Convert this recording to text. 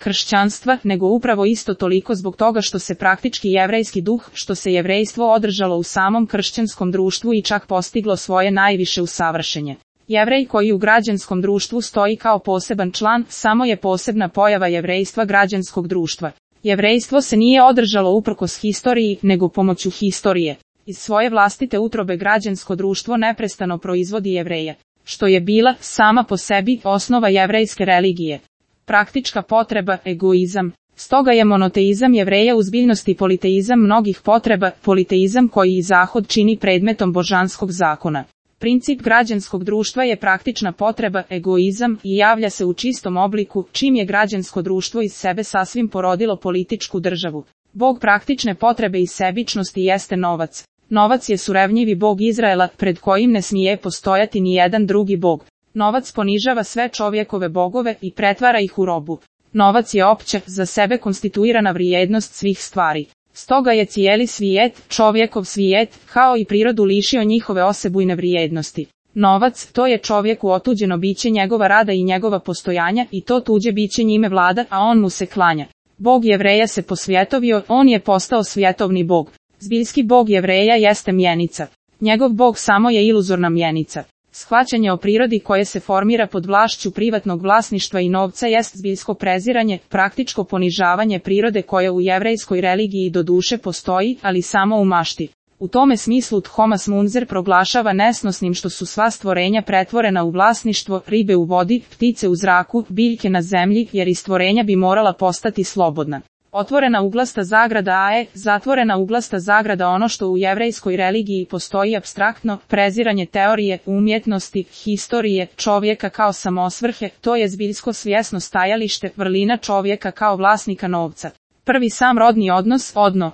kršćanstva, nego upravo isto toliko zbog toga što se praktički jevrejski duh, što se jevrejstvo održalo u samom kršćanskom društvu i čak postiglo svoje najviše usavršenje. Jevrej koji u građanskom društvu stoji kao poseban član, samo je posebna pojava jevrejstva građanskog društva. Jevrejstvo se nije održalo uprkos historiji, nego pomoću historije. Iz svoje vlastite utrobe građansko društvo neprestano proizvodi Jevreje, što je bila, sama po sebi, osnova jevrejske religije. Praktička potreba, egoizam. Stoga je monoteizam Jevreja uz biljnost i politeizam mnogih potreba, politeizam koji i Zahod čini predmetom božanskog zakona. Princip građanskog društva je praktična potreba, egoizam, i javlja se u čistom obliku, čim je građansko društvo iz sebe sasvim porodilo političku državu. Bog praktične potrebe i sebičnosti jeste novac. Novac je surevnjivi Bog Izraela, pred kojim ne smije postojati ni jedan drugi Bog. Novac ponižava sve čovjekove bogove i pretvara ih u robu. Novac je opća, za sebe konstituirana vrijednost svih stvari. Stoga je cijeli svijet, čovjekov svijet, kao i prirodu lišio njihove osebujne vrijednosti. Novac, to je čovjeku otuđeno biće njegova rada i njegova postojanja, i to tuđe biće njime vlada, a on mu se klanja. Bog Jevreja se posvjetovio, on je postao svjetovni Bog. Zbiljski Bog Jevreja jeste mjenica. Njegov Bog samo je iluzorna mjenica. Shvaćanje o prirodi koje se formira pod vlašću privatnog vlasništva i novca jest zbiljsko preziranje, praktičko ponižavanje prirode koja u jevrejskoj religiji do duše postoji, ali samo u mašti. U tome smislu Thomas Munzer proglašava nesnosnim što su sva stvorenja pretvorena u vlasništvo, ribe u vodi, ptice u zraku, biljke na zemlji, jer i stvorenja bi morala postati slobodna. Otvorena uglasta zagrada AE, zatvorena uglasta zagrada ono što u jevrejskoj religiji postoji apstraktno, preziranje teorije, umjetnosti, historije, čovjeka kao samosvrhe, to je zbiljsko svjesno stajalište, vrlina čovjeka kao vlasnika novca. Prvi sam rodni odnos, odno.